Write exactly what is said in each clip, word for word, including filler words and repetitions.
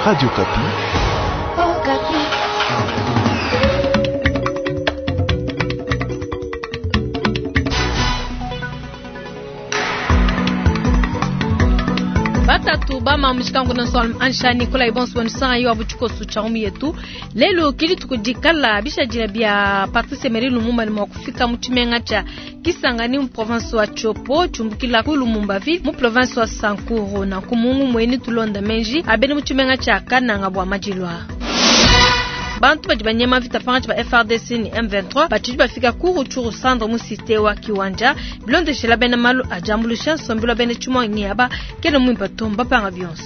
Radio Okapi. Okapi. Batatu bama mushikangu na swal anshani kula ibonso bonisa yo abuchikosu cha umu yetu lelo kili tukudikala bishajira bya Patrice Emery Lumumba ni mwakufika muchimenga cha Kisangani mu province wa Tshopo chumbukila ku Lumumba ville mu province wa Sankuru na kumungu mweni tulonda menji abeni muchimenga cha Kananga bwa majilwa. Bantu badi banyema vita pangachi ba F R D C ni M vingt-trois batidi bafika ku Rutshuru centre mu cité wa Kiwanja bilondeshela bena malu ajambulusha nsombelo bene chumwa ngiaba kene mwimpa tomba panga bionso.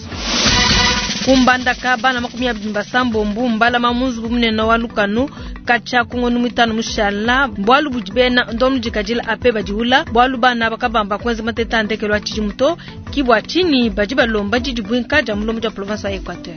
Kumbandaka bana makumi abiri basambo mbumba mamuzu bumunene wa lukanu kacha kungono mitano mushala bwalu bujibena ndomu jikajila ape bajiula bwalu bana bakabamba kwenza mateta ndekelwa chijimuto kibwa chini bajiba lomba jijibwinka ja mulomo ja province ya Equateur.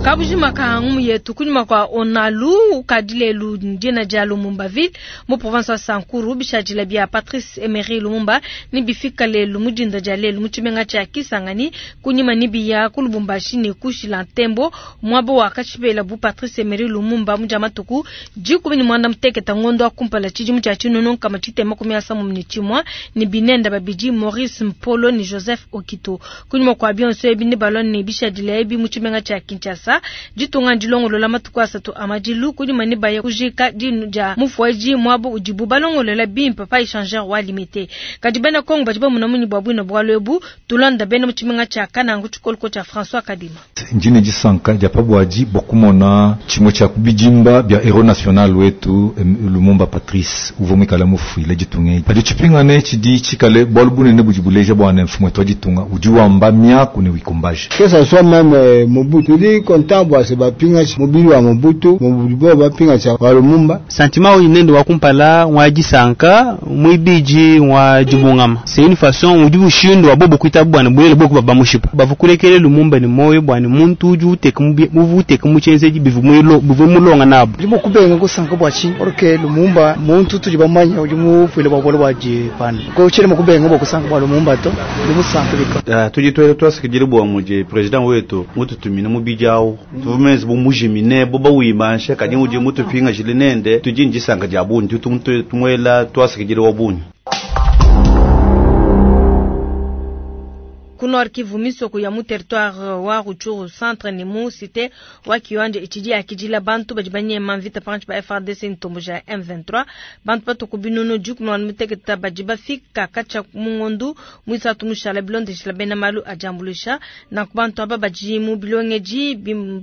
Kabujima ka yetu kunyuma kwa onalu ukadilelu ndina ja Lumumba ville mu province ya Sankuru bishajila bya Patrice Emery Lumumba ni bifika lelu mujinda ja lelu muchimenga cha Kisangani kunyuma ni biya ku Lubumbashi ne kushila ntembo mwabo wa kachibela bu Patrice Emery Lumumba muja matuku jikumi ni mwanda mteketa ngondo akumpala chijimu cha chinono kama chitema kumi ya samu mnichimwa ni binenda babiji Maurice Mpolo ni Joseph Okito kunyuma kwa bionso ebi ni balon ni bishajila ebi muchimenga cha Kinshasa jitunga ndilongolola matuku asatu amajilu kunyuma ni baya kujika dinu ja mufuaji mwabo ujibu balongolola bimpa pa échangeur wa limité kadi bena Kongo bajiba munamunyi bwa bwino bwa lwebu tulanda bena muchimenga cha Kanangu chikolko cha François Kadima njine jisanka dia pabwaji bokumona chimwe cha kubijimba bya héros national wetu Lumumba Patrice uvomwe kala mufuile jitunge padi chipingane chidi chikale bwalu bunene bujibuleja bwana mfumwe twajitunga ujiwamba myaku ni wikumbaje que ça soit même Mobutu dit content se bapinga mobili wa Mobutu Mobutu bapinga cha wa Lumumba sentiment oyo nende wa kumpala wa jisanka mwibiji wa jibungama c'est une façon udi bushindo wa bobo kuita bwana bulele boko baba mushipa bavukulekele Lumumba ni moyo bwana muntu uju uteka mubu uteka muchenzeji bivu mwilo bivu mulonga nabo ndimo kubenga kusanka bwachi orke Lumumba muntu tuli bamanya udi mufwile bwa bwa jipana ko chile mukubenga bwa kusanka bwa Lumumba to ndi musanka bika tudi twele twasikidile bwa muje president wetu mututumine mubijao tuvumezi bumujimine boba wimansha kadi uje mutupinga jilinende tujinjisanga jabundi tumwela twasikidile wabuni. Ku Nord Kivu misoko ya mu territoire wa Rutshuru centre ni mu cité wa Kiwanja ichidi akijila bantu badi banyema mvita panchi ba F R D C ntombo ja M vingt-trois bantu batuku binunu juku no muteketa badi bafika kacha mungondu mwisatu mushala bilonde shila bena malu ajambulisha na kubantu aba badi mu bilongeji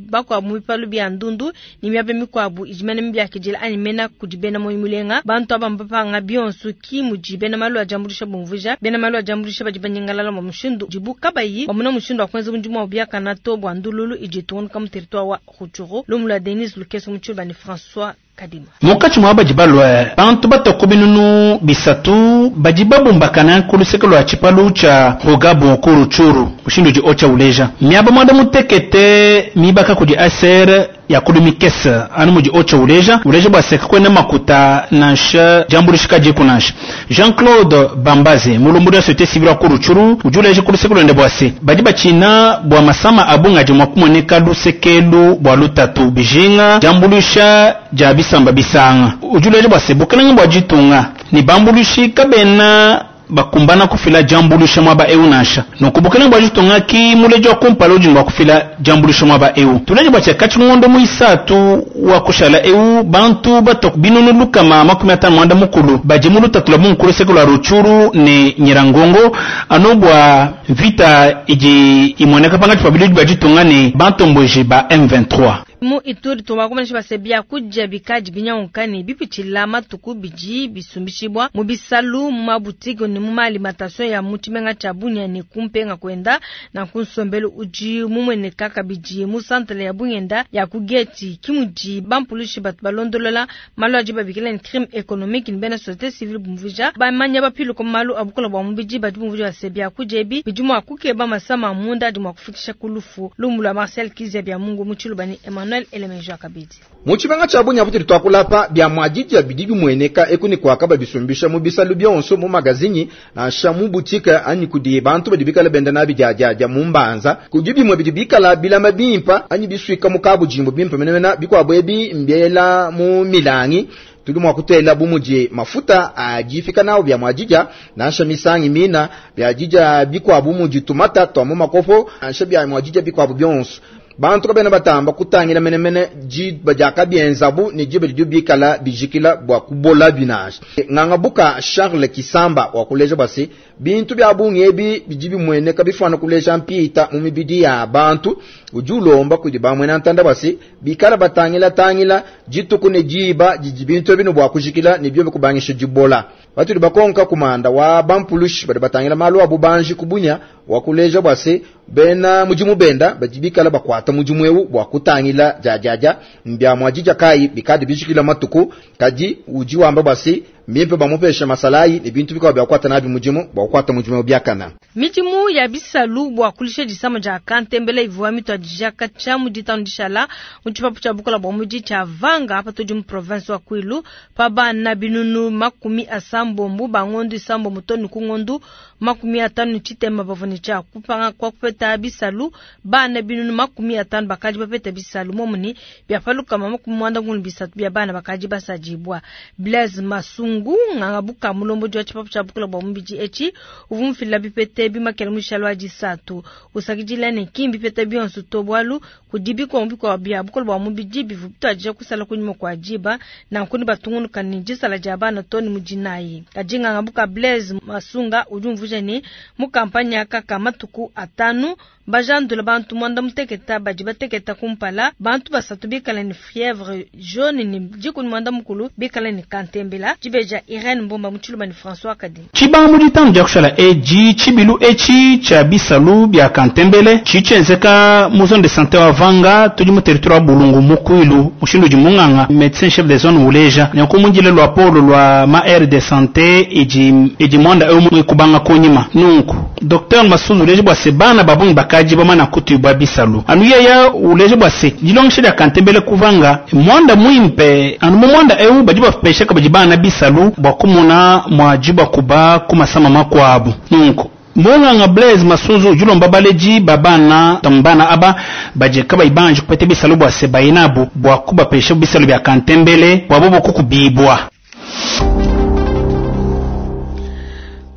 bakwa mu bipalu bya ndundu ni miabe mikwabu ijimene mbya kijila ani mena kujibena moyo mulenga bantu aba mbapanga bionsu ki mujibena malu ajambulisha bumvuja bena malu ajambulisha badi banyangalala mu mushindu jibu kabayi wamuna mushindu wa kwenza bundimu wa byakana to bwa ndululu ijitunga kama territoire wa Rutshuru lumula Denis Lukeso muchulba ni François Kadima mukachi mwa bajibalwa bantu batoko binunu bisatu bajibabumbakana kuluseke lwa chipalu cha Rugabo ku Rutshuru mushindu ji ocha uleja miaba mwada mutekete mibaka kudi A S R ya kulumikesa anu muji ocha uleja uleja bwaseka kwena makuta nansha jambulishika jiku nansha Jean-Claude Bambaze mulumbu ya société civile ku Rutshuru ujuleje kuluseke lwende bwase baji bachina bwa masama abunga jimwa kumoneka lusekelu bwa lutatu bijinga jambulisha ja bisamba bisanga ujuleje bwase bukelenge bwa jitunga ni bambulushi kabena bakumbana kufila jambulusha mwaba eu nasha nokubukela bwa jitunga ki mulejo kumpala ujingwa kufila jambulusha mwaba eu tuleje bwa chakachi ngondo muisatu wa kushala eu bantu batok binunu lukama makumi atano mwanda mukulu bajimulu tatula munkulu sekula Rutshuru ne Nyirangongo anobwa vita iji imoneka panga tupabili bwa jitunga ne bantomboje ba M vingt-trois mu Ituri tumakomanisha basebya kuja bikaji binyankani bipichila matuku biji bisumbishibwa mu bisalu mu mabutiki ni mu alimentation ya muchimenga cha Bunya ni kumpenga kwenda na kunsombelu uji mumweneka kabiji mu centre ya Bunyenda ya kugeti kimuji bampulushi batu balondolola malu aji babikila ni crime économique ni bena société civile bumvuja bamanya bapilu ko malu abukola bwa mubiji batu bumvuja basebya kujebi bijumu akukeba masama munda adi mwakufikisha kulufu lumula Marcel Kizia bya Mungu muchilu bani Emmanuel Arnoel Elemenjwa kabidi. Mu tshimenga tshia Bunia patudi tuakula apa, bia muadija bidi bimueneka eku ne kuaka babisumbisha mu bisalu bionso, mu magazinyi, nansha mu boutique anyi kudi bantu badi bikala benda nabi dia dia dia mu mbanza. Kudi bimue bidi bikala bilama bimpa anyi bisuika mu kabujimbu bimpe menemene, bikuabu ebi mbiela mu milangi. Tudi mua kutela bu mudi mafuta adifika nawo bia muadija, nansha misangi mina bia dija bikuabu mudi tumata twa mu makopo, nansha bia muadija bikuabu bionso. Bantu kabena batamba kutangila menemene diba diakabienzabu ne diba didi bikala bijikila bua kubola binansha. Ngangabuka Charles Kisamba wa kuleja bua se bintu bia bungi ebi bidi bimueneka bifana kuleja mpita mu mibidi ya bantu. Udi ulomba kudi bamwena ntanda bua se bikala batangila tangila dituku ne diba didi bintu ebi ne bua kujikila ne biobi kubangisha dibola. Batudi bakonka kumanda wa bampulushi badi batangila malu a bubanji ku Bunia wa kuleja bua se bena mudimu benda badi bikala bakuata mudimu eu bua kutangila diadiadia mbia muadija kayi bikadi bijikila matuku. Kadi udi wamba bua se mimpe bamupesha masalayi ne bintu bikuabu bia kukuata nabi mudimu bua kukuata mudimu biakana. Midimu ya bisalu bua kulisha disama dia kantembela ivua mituadija katshia mu ditanu dishala mu tshipapu tshia bukola bua mudi tshia Vanga apa tudi mu province wa Kwilu pa bana binunu makumi asambombo ba ngondu isambombo tonu ku ngondu makumi atanu ne tshitema bavua ne tshia kupanga kwa kupeta bisalu. Bana binunu makumi atanu bakadi bapeta bisalu momuni bia palukama makumi muanda ngulu bisatu bia bana bakadi basadibwa. Blaise Masungu ngangabuka mulombo jwa tshipapu tshia bukola bua mubidi etshi uvua mufila bipete bimakela mushalo wa disatu usakidila ne kimbi pete bionso to bwalu kudi bikombi kwa bia bukola bua mubidi bivu bituadija kusala kunyuma kwa diba na nkuni batungunuka ne disala dia bana to ne mudinayi. Kadi ngangabuka Blaise Masunga udi umvuija ne mu kampanya aka matuku atanu bajandula bantu mwanda muteketa badi bateketa kumpala bantu basatu bikala ne fièvre jaune ne dikuni mwanda mukulu bikala ne kantembela. Dibeja Irène Mbomba Mutshiluba ne François Kadi. Tshibanga mu ditanu dia kushala eji tshibilu etshi tshia bisalu bia kantembele tshitshenzeka mu zone de santé wa Vanga tudi mu territoire wa Bulungu mu Kwilu mushindu udi munganga médecin chef de zone uleja nyanku mundile lwa polo lwa ma aire de santé idi idi mwanda eu mu kubanga kunyima nunku docteur Masunzu uleja bua se bana babungi bakaji bamana kutubwa bisalu anu yeya uleja bua se dilongesha dia kantembele kuvanga mwanda mwimpe anu mu mwanda eu badi bapesha kabadi bana bisalu bua kumona mwajiba kuba kumasama makwabu nunku munganga Blaise Masunzu julomba baleji babana tambana aba baje kaba ibanje kupete bisalu bua se bayinabu bua kubapesha bisalu bya kantembele bua bobo kukubibwa.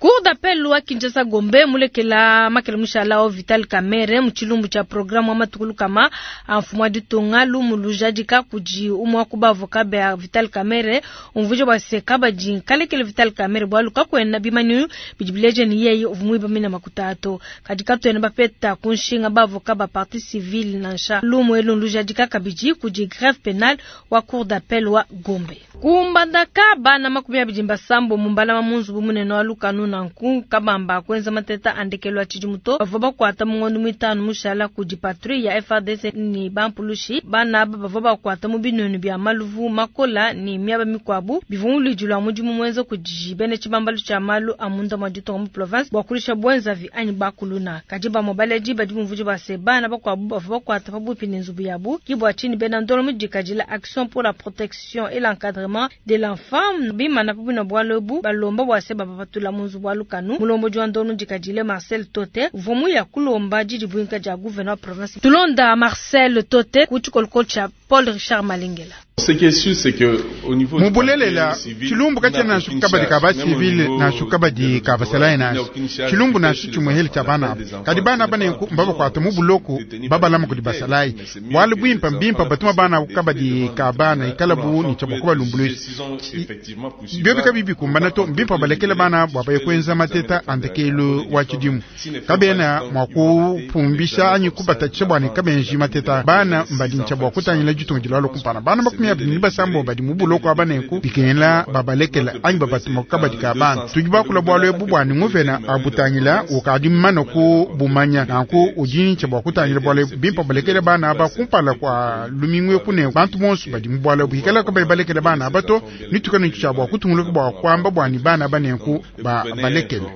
Cour d'appel wa Kinshasa Gombe mulekela makele mushala wa Vital Kamerhe mu tshilumbu tshia programme wa matukulu kama mfumu wa ditunga lumu lujadika kudi umwe wa ku bavoka ba Vital Kamerhe umvuija bua se kabadi nkalekele Vital Kamerhe bualu kakuena bimanyinu bidi bileja ne yeye uvua muiba mina makuta ato. Kadi katuena bapeta ku nshinga bavoka ba partie civile nansha lumu elu lujadika kabidi kudi greffe pénal wa cour d'appel wa Gombe. Kumbandaka bana makumi abidi mbasambo mu mbalama mu nzubu munene wa lukanu nanku kabamba kwenza mateta andekelo tshidimu to bavua bakuata mu ngondo mitanu mushala kudi patrouille ya F R D C ni bampulushi bana aba bavua bakuata mu binunu bia maluvu makola ni miaba mikuabu bivua muludi lwa mudimu mwenza kudi bene tshibambalu tshia malu a munda mwa ditunga mu province bua kulisha bwenzavi anyi bakuluna. Kadi bamue baledi badi bumvuija bua se bana bakuabu bavua bakuata pabuipi ne nzubu yabu ki bua tshini bena ndolo mudikadila action pour la protection et l'encadrement de l'enfant bimana pabuipi na bualu ebu balomba bua se bapatula mu nzubu wa lukanu. Mulombo wa ndolo mudikadile Marcel Tote uvua muya kulomba didi buinka dia gouverneur province. Tulonda Marcel Tote ku tshikolokolo tshia Paul Richard Malengela. Ce qui est sûr, c'est que au niveau du Mubulelela, parquet civil, tshilumbu il n'a katshia na aucune kabadi charge. ka ba Même au civil niveau na shukabadi des ka basalayi il na n'a aucune charge tshilumbu na qui fait tshimweheli sur tshia les bana enfants abo. Kadi bana qui bane n'est pas ku mbaba kwata mu buloko, détenus baba par lama les kudi militaires. basalayi. Mais c'est mieux Bwalu que bwimpa les mbimpa enfants batuma bana puissent kabadi défendre ka bana le ikala bu tribunal. ni tsha kuba lumbulushi. S'ils ont effectivement poursuivi Byobe kabibi kumbana to mbimpa balekele bana bwa baye kwenza mateta andekelo wa tshidimu. Kabena mwa kupumbisha anyi kubatatsha bwane kabenji mateta bana mbadintsha bwa kutangila ditunga dilalo kumpana. Bana makumi abiri ni basambo badi mu buloko abaneku bikengela babalekela anyi babatuma kabadi ka bana. Tudi bakula bwalu ebu bwane nguvena abutangila ukadi mmana ku bumanya nanku udintsha bwa kutangila bwalu ebu bimpa balekele bana aba kumpala kwa lumingu eku ne bantu bonso badi mu bwalu ebu ikala kabayi balekele bana aba to nitukanu tsha bwa kutunguluka bwa kwamba bwani bana abaneku ba balekele.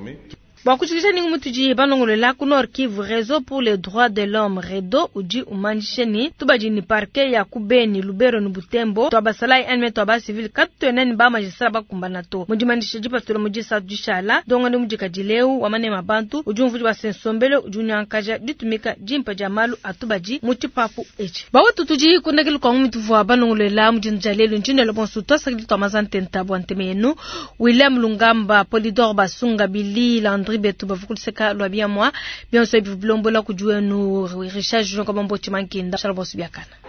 Bua kujikija ningu mutudi balongolola ku Nord Kivu, Réseau pour les droits de l'homme REDO udi umanyisha ni tubadi ni parquet ya ku Beni, Lubero ni Butembo twa basalayi anime twa ba civil katuena ni ba magistrat bakumbana to mudimanyisha dipatula mu disatu dishala donga ni mudikadileu wa manema bantu udi umvudi wa sensombelo udi unyankaja ditumika dimpa dia malu atubadi mu tshipapu etshi bawetu tudi kundekelu kwa mutuvua balongolola mudindu dia lelu ntshindelo bonso twasakidi twa mazantenta bua nteme yenu William Lungamba Polidor Basunga Billy Landry betu bavukuliseka lwa biamwa bionso ebi bilombola kudi wenu Richard Junior Kabambo Tshimankinda shala bonso biakana.